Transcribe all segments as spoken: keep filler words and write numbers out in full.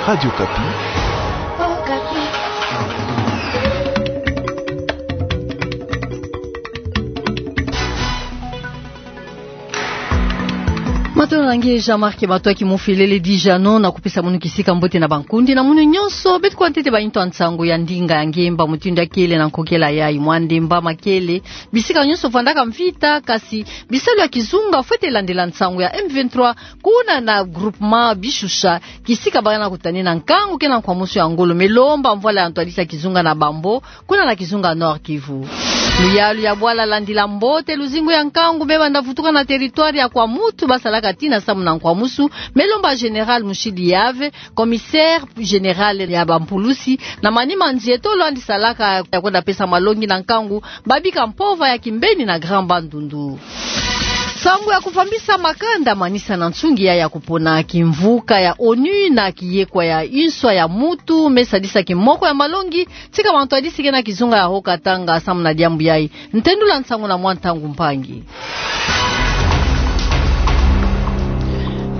Radio Okapi. Matondo na nge Jean-Marc Matoaki Mufilele Dijano, na kupesa munu kisika mbote na bankundi na munu nyonso beto kuwa ntete ba yintu ya nsangu ya ndinga ya ngemba mutindu ya kele na nkokela yayi. Mwa ndemba makele, bisika nyonso vandaka mvita, kasi bisalu ya kizunga fwete landila nsangu ya M vingt-trois, kuna na groupement Bishusha, kisika bana kutanina nkangu ke na nkwamusu ya ngolo. Me lomba mvwala ya ntwadisi ya kizunga na bambo, kuna na kizunga Nord-Kivu. Luyalu ya bwala landila mbote luzingu ya nkangu me banda vutuka na territoire ya Kwamouth, basalaka tii na samu na nkwamusu. Me lomba Général Mushidi Yave, commissaire général ya bampulusi, na manima nzieto lwandi salaka ya kwenda pesa malongi na nkangu, babika mpova ya kimbeni na Grand Bandundu. Nsangu ya kuvambisa makanda manisa na nsungi ya, ya kupona kimvuka ya ONU na kiyekwa ya inswa ya mutu me sadisa kimoko ya malongi, tika ba ntwadisi ke na kizunga ya Haut-Katanga samu na diambu yayi. Ntendula nsangu na mwa Ntangu Mpangi.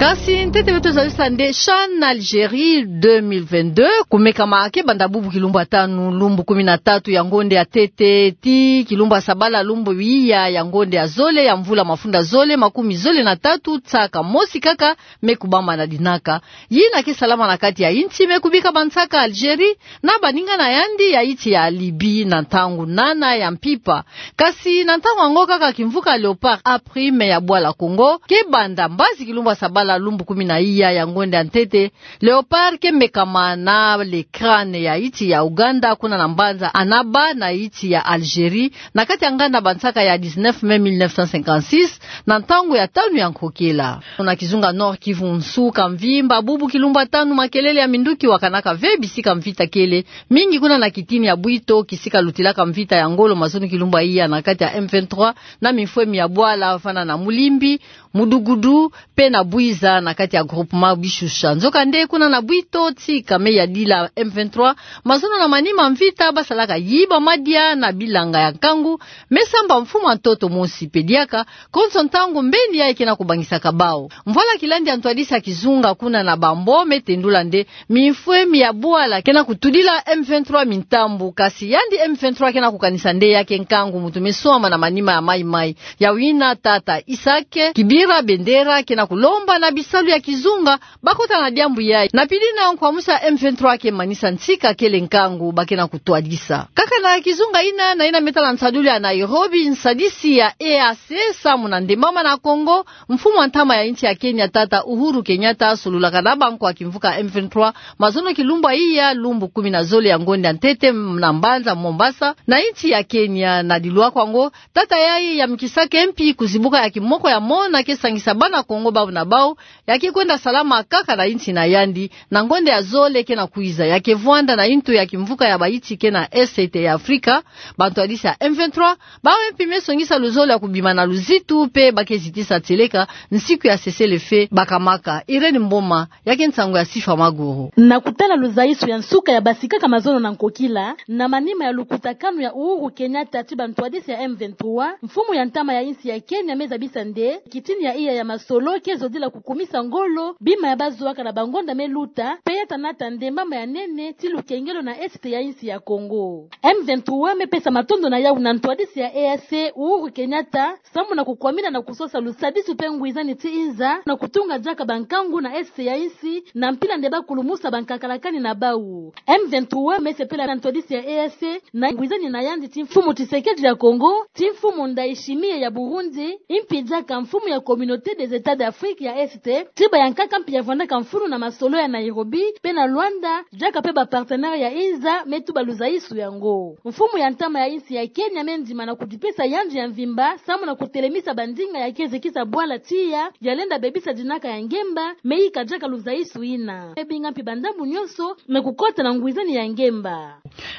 Kasi ntete beto zalisa nde CHAN Algérie deux mille vingt-deux, kumekama ke banda bubu kilumbu ya tanu lumbu kumi na tatu ya ngonde ya ntete, tii kilumbu ya sabala lumbu iya ya ngonde ya zole ya mvula mafunda zole makumi zole na tatu, nsaka mosi kaka me kubama na dinaka. Yina ke salama na kati ya insi me kubika bansaka Algérie na baninga na yandi ya insi ya Libye na ntangu nana ya mpimpa. Kasi na ntangu yango kaka kimvuka Léopard A prime ya bwala Congo ke banda mbazi kilumbu ya sabala lumbu kumi na iya ya ngonde ya ntete. Léopard ke mekama na le Crane ya insi ya Ouganda kuna na mbanza Annaba na insi ya Algérie, na kati ya nganda bansaka ya dix-neuf mai mille neuf cent cinquante-six, na ntangu ya tanu ya nkokela. Na kizunga Nord-Kivu nsuka mvimba bubu kilumbu ya tanu makelele ya minduki wakanaka ve bisika mvita kele, mingi kuna na kitini ya Bwito, kisika lutilaka mvita ya ngolo mazono kilumbu ya iya na kati ya M vingt-trois na mifwemi ya bwala, fana na Mulimbi, Mudugudu, pe na Bwiza na kati ya groupement Bishusha. Nzokande kuna na Bwito, tika me yadila M vingt-trois, mazono na manima mvita basalaka yiba madia na bilanga ya nkangu, me samba mfumu ya ntoto mosi pe diaka, konso ntangu mbeni yayi ke na kubangisaka bawu. Mvwala kilandi ya ntwadisi ya kizunga kuna na bambo me tendula nde mifwemi ya bwala ke na kutudila M vingt-trois mintambu, kasi yandi M vingt-trois ke na kukanisa nde ya ke nkangu mutu me swama na manima ya mayi-mayi. Yawu yina tata Isaac Kibira Bendera ke na kulomba na bisalu ya kizunga bakota na diambu yayi. Na pili na nkwamusu ya M vingt-trois ke manisa nsika kele nkangu ba ke na kutwadisa. Kaka na kizunga yina, na yina me tala nsadulu ya Nairobi, nsadisi ya E A C samu na ndembama na Congo, mfumu ya ntama ya insi ya Kenya, tata Uhuru Kenyatta, solulaka na bankwa kimvuka M vingt-trois mazono kilumbu ya iya lumbu kumi na zole ya ngonde ya ntete na mbanza Mombasa na insi ya Kenya. Na dilwakwa yango, tata yayi yamikisaka mpi kuzibuka ya kimoko ya mona ke sangisa bana Congo bawu na bawu, ya ke kwenda salama kaka na insi na yandi, na ngonde ya zole ke na kwiza. Ya ke vwanda na yintu ya kimvuka ya ba insi ke na Est ya Afrika, bantwadisi ya M vingt-trois bawu mpi me songisa luzolo ya kubima na luzitu, pe ba ke zitisa tieleka nsiku ya cessez-le-feu bakamaka. Irène Mboma, ya ke nsangu ya Sifa Maguru. Na kutala luzaisu ya nsuka ya basikaka mazono na nkokila, na manima ya lukutakanu ya Uhuru Kenyatta ti bantwadisi ya M vingt-trois, mfumu ya ntama ya insi ya Kenya me zabisa nde kitini ya iya ya masolo ke zodila kukumisa ngolo bima ya bazuaka na bangonda me luta, pe ya tanata ndembama ya nene ti lukengelo na Est ya insi ya Congo. M vingt-trois me pesa matondo na yawu na ntwadisi ya E A C, Uhuru Kenyatta, samu na kukwamina na kusosa lusadisu pe ngwizani ti inza na kutunga diaka bankangu na Est ya insi, na mpila nde ba kulumusa bankakalakani na bawu. M vingt-trois me sepela na ntwadisi ya E A C na ngwizani na yandi ti mfumu Tshisekedi ya Congo, ti mfumu Ndayishimiye ya Burundi, mpi diaka mfumu ya Communauté des États d'Afrique ya Est, ti bayankaka mpi ya vwandaka mfunu na masolo ya Nairobi pe na Luanda, diaka pe ba partenaires ya inza me tuba luzaisu yango. Mfumu ya ntama ya insi ya Kenya me ndima na kudipesa yandi ya mvimba samu na kutelemisa bandinga ya ke zekisa bwala tiya ya lenda bebisa dinaka ya ngemba, me yika diaka luzaisu yina. Me binga mpi bandambu nyonso me kukota na ngwizani ya ngemba.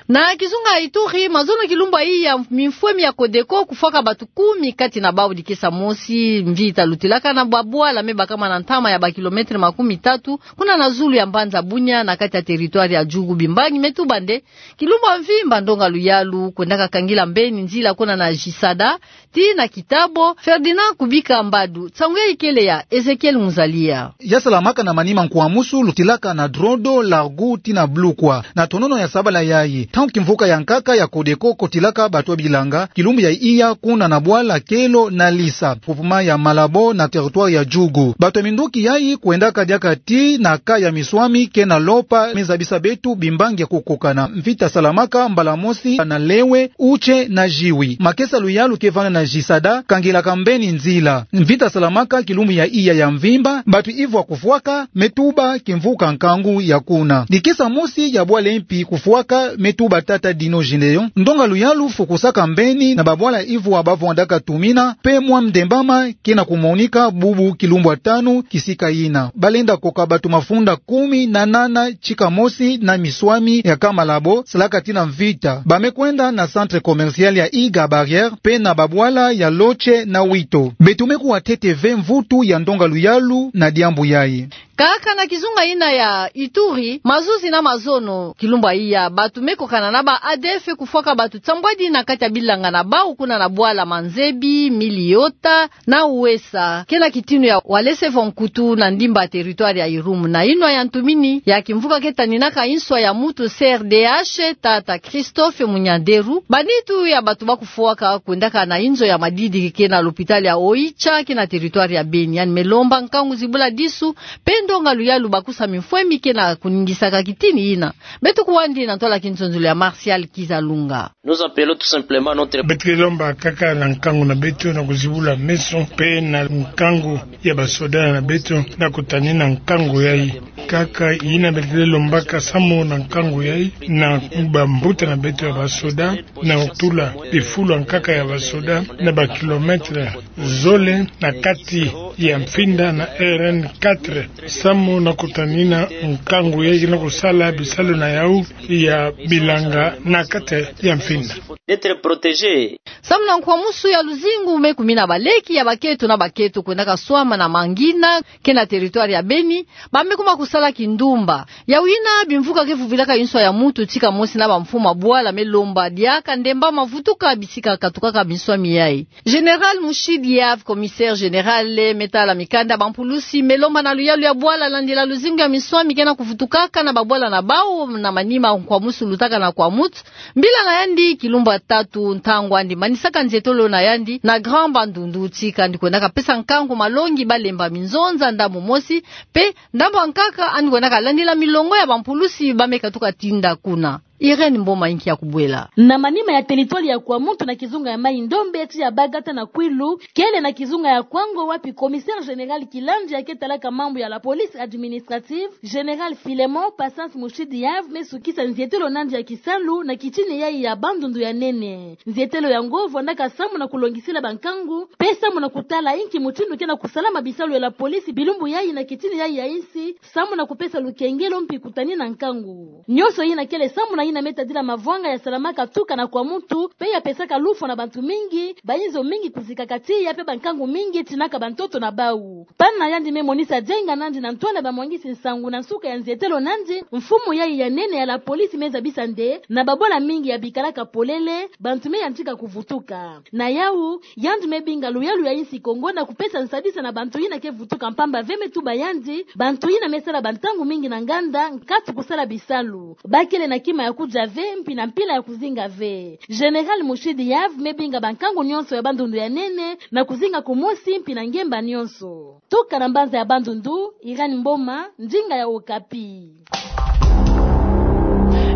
Na kizunga Ituri, mazono kilumbu ya iya, mifwemi ya Codeco kufwaka batu kumi, kati na bawu dikesa mosi, mvita lutilaka na babwala me bakama na ntama ya ba kilomètre makumi tatu, kuna na zulu ya mbanza Bunia, na kati ya territoire ya Djugu. Bimbangi me tuba nde, kilumbu ya mvimba ndonga luyalu kwendaka kangila mbeni nzila kuna na Jisada, tii na Kitabo. Ferdinand Kubika Mbadu, nsangu yayi kele ya Ezekiel Muzalia. Ya salamaka na manima nkwamusu lutilaka na Drodro, Largou tii na Bloukwa. Na tonono ya sabala yayi, ntangu kimvuka ya nkaka ya Codeco kotilaka bateau ya bilanga, kilumbu ya iya kuna na bwala Kelo na Lisa, groupement ya Malabo na territoire ya Djugu. Bateau ya minduki yayi kwendaka diaka tii na kaa ya Missouami ke na Lopa, me zabisa beto bimbangi ya kukokana. Mvita salamaka mbala mosi na Lewe, Outché na Djioui. Makesa luyalu ke vanda na Jisada kangilaka mbeni nzila. Mvita salamaka kilumbu ya iya ya mvimba, bato ivwa kufwaka, me tuba kimvuka nkangu ya kuna. Dikisa mosi ya bwala mpi kufwaka, me tuba tata Dino Gédéon. Ndonga luyalu fukusaka mbeni na babwala ivwa bavwandaka tumina, mpe mwa mdembama ke na kumonika bubu kilumbu ya tanu kisika yina. Balenda koka bato mafunda kumi na nana ntika mosi na Missouami ya kaa Malabo, salaka tii na mvita. Ba me kwenda na centre commercial ya Iga Barrière, mpe na babwala ya Loche na Wito. Beto me kuwa ntete ve mvutu ya ndonga luyalu na diambu yayi. Kaka na kizunga yina ya Ituri, mazuzi na mazono kilumbu ya iya, bato me kokana na ba A D F kufwaka bato nsambwadi na kati ya bilanga na bau kuna na bwala Manzebi, Miliota, na Ouessa, ke na kitinu ya Walese Vonkutu na ndimba territoire ya Irumu. Na inwa ya ntumini ya kimvuka ke taninaka inswa ya mutu C R D H, tata Christophe Munyanderu, ba nitu ya bato ba kufwaka kwendaka na inzo ya madidi ke na l'hôpital ya Oicha, ke na territoire ya Beni. Yandi me lomba nkangu zibula disu, mpe ndonga luyalu bakusa mifwemi ke na kuningisaka kitini yina. Beto kuwandi na ntwala ya kinzonzolo ya Martial Kizalunga. Nous appelons tout simplement notre Beto ke lomba kaka na nkangu na beto na kuzibula meso, mpe na nkangu ya basoda na beto na kutanina nkangu yayi. Kaka yina beto ke lombaka, samu na nkangu yayi, na bambuta na beto ya basoda, na kutula bifulu ya nkaka ya basoda na ba kilomètre zole na kati ya Mfinda na R N quatre, samu na kutanina nkangu yayi na kusala bisalu na yawu ya bilanga na kati ya Mfinda. D'être protégé. Samu na nkwamusu ya luzingu me kumina baleki ya baketo na baketo kwendaka swama na Mangina, ke na territoire ya Beni, ba me kuma kusala kindumba. Yawu yina bimvuka ke vuvilaka inswa ya mutu ntika mosi na bamfumu ya bwala me lomba diaka ndemba mavutuka bisika katukaka minswami yayi. Général Mouchid Yave, commissaire général me tala mikanda ya bampulusi, me lomba na luyalu ya bwala landila luzingu ya minswami ke na kuvutukaka na babwala na bau na manima nkwamusu lutaka na Kwamouth. Mbila na yandi, kilumbu ya tatu ntangu yandi manisaka nzietolo na yandi na Grand Bandundu, ntika yandi kwendaka pesa nkangu malongi ba lemba minzonza ndambu mosi, mpe ndambu ya nkaka yandi kwendaka landila milongo ya bampulusi ba me katuka tinda kuna. Irène Mboma, inki ya kubwela. Na manima ya territoire ya Kwamouth, na kizunga ya Mai-Ndombe, tii ya Bagata na Kouilou, kele na kizunga ya Kouango, wapi commissaire général Kilandia ke talaka mambu ya la police administrative, général Philémon Patience Mouchid Yave me sukisa nzietelo na yandi ya kisalu na kitini yayi ya Bandundu ya nene. Nzietelo yango vwandaka samu na kulongisila bankangu, mpe samu na kutala inki mutindu ke na kusalama bisalu ya la police bilumbu yayi na kitini yayi ya insi, samu na kupesa lukengelo mpi kutanina nkangu. Nyonso yina kele samu na yina me tadila mavwanga ya salamaka tuka na Kwamouth, mpe ya pesaka lufwa na bantu mingi, bayinzo mingi kuzikaka tiya, mpe bankangu mingi tinaka bantoto na bau. Pana na yandi me monisa dienga na yandi na ntwala ya bamwangisi nsangu na nsuka ya nzietelo na yandi, mfumu yayi ya nene ya la police me zabisa nde, na babwala mingi ya bikalaka polele, bantu me yantika kuvutuka. Na yawu, yandi me binga luyalu ya insi Kongo na kupesa nsadisa na bantu yina ke vutuka mpamba ve, me tuba yandi, bantu yina me sala bantangu mingi na nganda, nkatu kusala bisalu. Ba kele na kima ya kudia ve, mpi na mpila ya kuzinga ve. Général Mouchid Yave me binga bankangu nyonso ya Bandundu ya nene na kuzinga kumosi mpi na ngemba nyonso. Tuka na mbanza ya Bandundu, Irène Mboma, ndinga ya Okapi.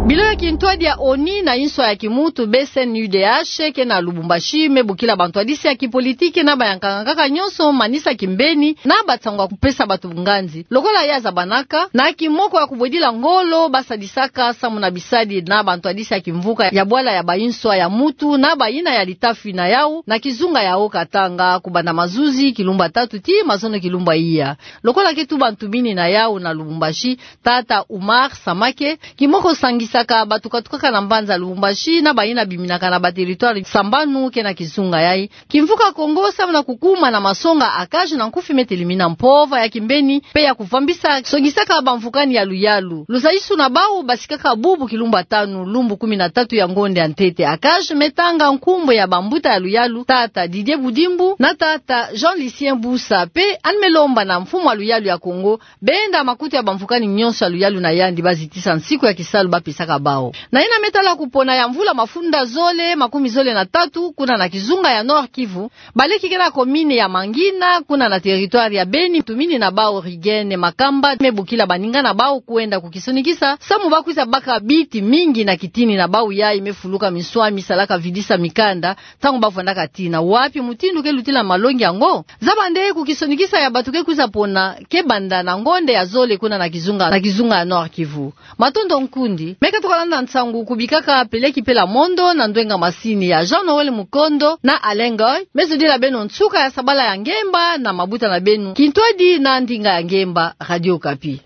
Biro ya kintwadi ya ONU na inswa ya kimuntu, B C N U D H, ke na Lubumbashi, me bokila bantwadisi ya kipolitiki na ba ya nkaka nyonso manisa kimbeni na bansangu ya kupesa bato nganzi. Lokola ya zabanaka, na kimoko ya kubwedila ngolo ba sadisaka samu na bisadi na bantwadisi ya kimvuka ya bwala ya bainswa ya muntu na bayina ya litafi na yawu, na kizunga ya Haut-Katanga, kubanda mazuzi kilumbu ya tatu tii mazono kilumbu ya iya. Lokola ke tuba ntumini na yawu na Lubumbashi, tata Oumar Samake, kimoko sangisa Saka bato katukaka na mbanza Lubumbashi na bayina biminaka na ba territoire sambanu ke na kizunga yayi. Kimvuka Kongo samu na kukuma na masonga ya cage na nkufi me telimina mpova ya kimbeni mpe ya kuvambisa songisaka bamvukani ya luyalu. Luzaisu na bau basikaka bubu kilumbu tanu, lumbu kumi na tatu ya ngonde ya ntete ya cage, me tanga nkumbu ya bambuta ya luyalu, tata Didier Budimbu na tata Jean Lucien Busa, mpe yandi me lomba na mfumu ya luyalu ya Kongo, benda makutu ya bamvukani nyonso ya luyalu na yandi bazitisa nsiku ya kisalu bapesaka bau. Na yina me tala kupona ya mvula mafunda zole makumi zole na tatu, kuna na kizunga ya Nord-Kivu, baleki ke na commune ya Mangina, kuna na territoire ya Beni, batumini na bau Rigene Makamba me bokila baninga na bau kwenda kukisonikisa samu bakwiza baka biti mingi na kitini na bau yayi me fuluka minswami salaka vidisa mikanda ntangu bavwandaka tina. Wapi mutindu ke lutila malongi yango? Zaba nde kukisonikisa ya bato ke kwiza pona ke banda na ngonde ya zole kuna na kizunga, na kizunga ya Nord-Kivu. Matondo nkundi. Me katuka landa nsangu kubikaka peleki pela mondo na ndwenga masini ya Jean Noël Mukondo na Alain Ngoy. Me zodila beno nsuka ya sabala ya ngemba na mabuta na beno, kintwadi na ndinga ya ngemba. Radio Okapi.